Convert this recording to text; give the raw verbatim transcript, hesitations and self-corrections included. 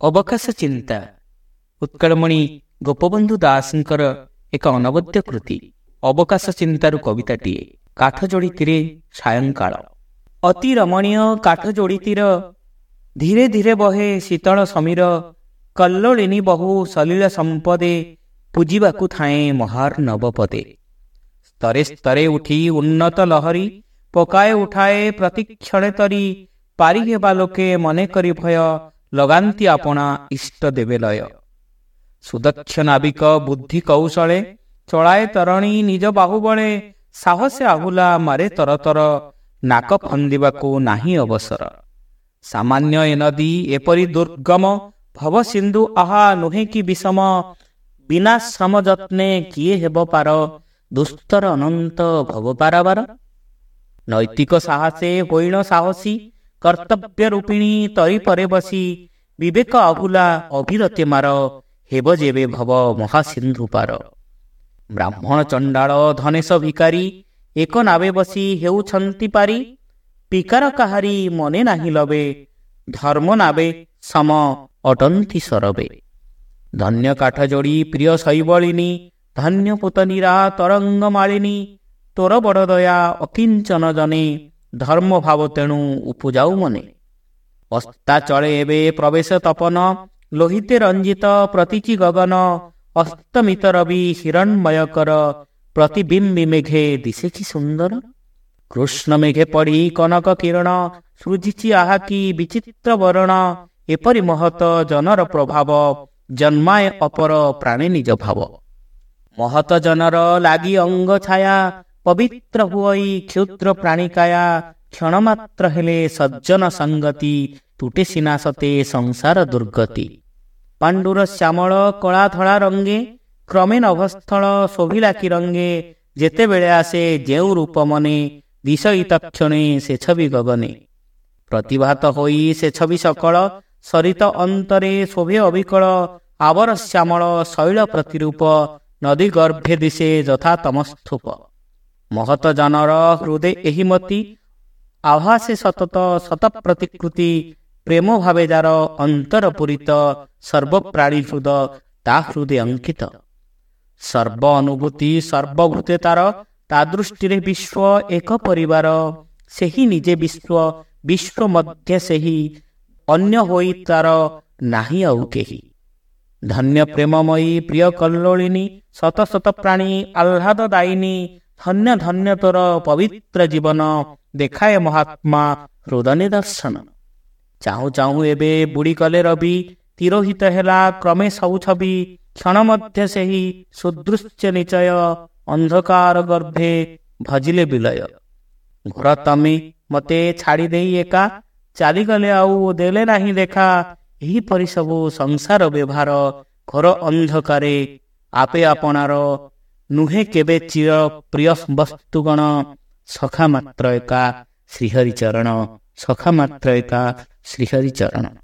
ଅବକାଶ ଚିନ୍ତା ଉତ୍କଳମଣି ଗୋପବନ୍ଧୁ ଦାସଙ୍କର ଏକ ଅନବଦ୍ୟ କୃତି। ଅବକାଶ ଚିନ୍ତାରୁ କବିତାଟିଏ। କାଠଯୋଡ଼ି ତୀରେ ସାୟଙ୍କାଳ। ଅତି ରମଣୀୟ କାଠଯୋଡ଼ି ତୀର, ଧୀରେ ଧୀରେ ବହେ ଶୀତଳ ସମୀର। କଲ୍ଲୋଳିନୀ ବହୁ ସଲିଳ ସମ୍ପଦେ, ପୂଜିବାକୁ ଥାଏଁ ମହାର୍ଣ୍ଣବ ପଦେ। ସ୍ତରେ ସ୍ତରେ ଉଠି ଉନ୍ନତ ଲହରୀ, ପକାଏ ଉଠାଏ ପ୍ରତିକ୍ଷଣେ ତରି। ପାରି ହେବା ଲୋକେ ମନେ କରି ଭୟ, ଲଗାନ୍ତି ଆପଣା ଇଷ୍ଟ ଦେବେ ଲୟ। ସୁଦକ୍ଷ ନାବିକ ବୁଦ୍ଧି କୌଶଳେ, ଚଳାଏ ତରଣୀ ନିଜ ବାହୁବଳେ। ସାହସେ ଆହୁଲା ମାରେ ତରତର, ନାକ ଫନ୍ଦିବାକୁ ନାହିଁ ଅବସର। ସାମାନ୍ୟ ଏ ନଦୀ ଏପରି ଦୁର୍ଗମ, ଭବସିନ୍ଧୁ ଆହା ନୁହେଁ କି ବିଷମ। ବିନା ଶ୍ରମ ଯତ୍ନେ କିଏ ହେବ ପାର, ଦୁସ୍ତର ଅନନ୍ତ ଭବ ପାରାବାର। ନୈତିକ ସାହସେ ହୋଇଣ ସାହସୀ, କର୍ତ୍ତବ୍ୟ ରୂପିଣୀ ତରି ପରେ ବସି। ବିବେକ ଆହୁଲା ଅଭିରତେ ମାର, ହେବ ଯେବେ ଭବ ମହାସିନ୍ଧୁ ପାର। ବ୍ରାହ୍ମଣ ଚଣ୍ଡାଳ ଧନେଶ ଭିକାରୀ, ଏକ ନାବେ ବସି ହେଉଛନ୍ତି ପାରି। ପିକାର କାହାରି ମନେ ନାହିଁ ଲବେ, ଧର୍ମ ନାବେ ସମ ଅଟନ୍ତି ସରବେ। ଧନ୍ୟ କାଠଯୋଡ଼ି ପ୍ରିୟ ଶୈବଳିନୀ, ଧନ୍ୟ ପୁତନୀରା ତରଙ୍ଗ ମାଳିନୀ। ତୋର ବଡ଼ ଦୟା ଅକିଞ୍ଚନ ଜନେ, ଧର୍ମ ଭାବ ତେଣୁ ଉପୁଜାଉ ମନେ। ଅସ୍ତା ଚଳେ ଏବେ ପ୍ରବେଶ ତପନ, ଲୋହିତେ ରଞ୍ଜିତ ପ୍ରତୀଚି ଗଗନ। ଅସ୍ତମିତ ରବି ହିରଣ୍ମୟକର, ପ୍ରତିବିମ୍ବି ମେଘେ ଦିଶେ କି ସୁନ୍ଦର। କୃଷ୍ଣ ମେଘେ ପଡ଼ି କନକ କିରଣ, ସୃଜିଛି ଆହା କି ବିଚିତ୍ର ବରଣ। ଏପରି ମହତ ଜନର ପ୍ରଭାବ, ଜନ୍ମାଏ ଅପର ପ୍ରାଣେ ନିଜ ଭାବ। ମହତ ଜନର ଲାଗି ଅଙ୍ଗ ଛାୟା, ପବିତ୍ର ହୁଅଇ କ୍ଷୁଦ୍ର ପ୍ରାଣିକାୟା। କ୍ଷଣମାତ୍ର ହେଲେ ସଜ୍ଜନ ସଙ୍ଗତି, ତୁଟେ ସିନା ସତେ ସଂସାର ଦୁର୍ଗତି। ପାଣ୍ଡୁର ଶ୍ୟାମଳ କଳା ଧଳା ରଙ୍ଗେ, କ୍ରମେ ନଭସ୍ଥଳ ଶୋଭିଲା କି ରଙ୍ଗେ। ଯେତେବେଳେ ଆସେ ଯେଉଁ ରୂପ ମନେ, ଦିଶଇ ତକ୍ଷଣେ ସେ ଛବି ଗଗନେ। ପ୍ରତିଭାତ ହୋଇ ସେ ଛବି ସକଳ, ସରିତ ଅନ୍ତରେ ଶୋଭେ ଅବିକଳ। ଆବର ଶ୍ୟାମଳ ଶୈଳ ପ୍ରତିରୂପ, ନଦୀ ଗର୍ଭେ ଦିଶେ ଯଥା ତମସ୍ଥୂପ। ମହତ ଜନର ହୃଦେ ଏହି ମତି, ଆଭାସେ ସତତ ଶତ ପ୍ରତିକୃତି। ପ୍ରେମ ଭାବେ ଯାର ଅନ୍ତର ପୂରିତ, ସର୍ବପ୍ରାଣୀ ହୃଦ ତା ହୃଦେ ଅଙ୍କିତ। ସର୍ବ ଅନୁଭୂତି ସର୍ବଭୂତେ ତାର, ତା ଦୃଷ୍ଟିରେ ବିଶ୍ୱ ଏକ ପରିବାର। ସେହି ନିଜେ ବିଶ୍ୱ, ବିଶ୍ୱ ମଧ୍ୟ ସେହି, ଅନ୍ୟ ହୋଇ ତାର ନାହିଁ ଆଉ କେହି। ଧନ୍ୟ ପ୍ରେମମୟୀ ପ୍ରିୟ କଲ୍ଲୋଳିନୀ, ଶତ ଶତ ପ୍ରାଣୀ ଆହ୍ଲାଦ ଦାୟିନୀ। ଧନ୍ୟ ଧନ୍ୟ ତୋର ପବିତ୍ର ଜୀବନ, ଦେଖାଏ ମହାତ୍ମା ହୃଦ ନିଦର୍ଶନ। ଚାହୁଁ ଚାହୁଁ ଏବେ ବୁଡ଼ି ଗଲେ ରବି, ତିରୋହିତ ହେଲା କ୍ରମେ ସବୁ ଛବି। କ୍ଷଣ ମଧ୍ୟ ସେହି ସୁଦୃଶ୍ୟ ନିଚୟ, ଅନ୍ଧକାର ଗର୍ଭେ ଭଜିଲେ ବିଲୟ। ଘୋର ତମେ ମତେ ଛାଡ଼ି ଦେଇ ଏକା, ଚାଲିଗଲେ ଆଉ ଦେଲେ ନାହିଁ ଦେଖା। ଏହିପରି ସବୁ ସଂସାର ବ୍ୟବହାର, ଘୋର ଅନ୍ଧକାରେ ଆପେ ଆପଣାର। ନୁହେଁ କେବେ ଚିର ପ୍ରିୟ ବସ୍ତୁଗଣ, ସଖା ମାତ୍ର ଏକା ଶ୍ରୀହରି ଚରଣ। ସଖା ମାତ୍ର ଏକା ଶ୍ରୀହରି ଚରଣ।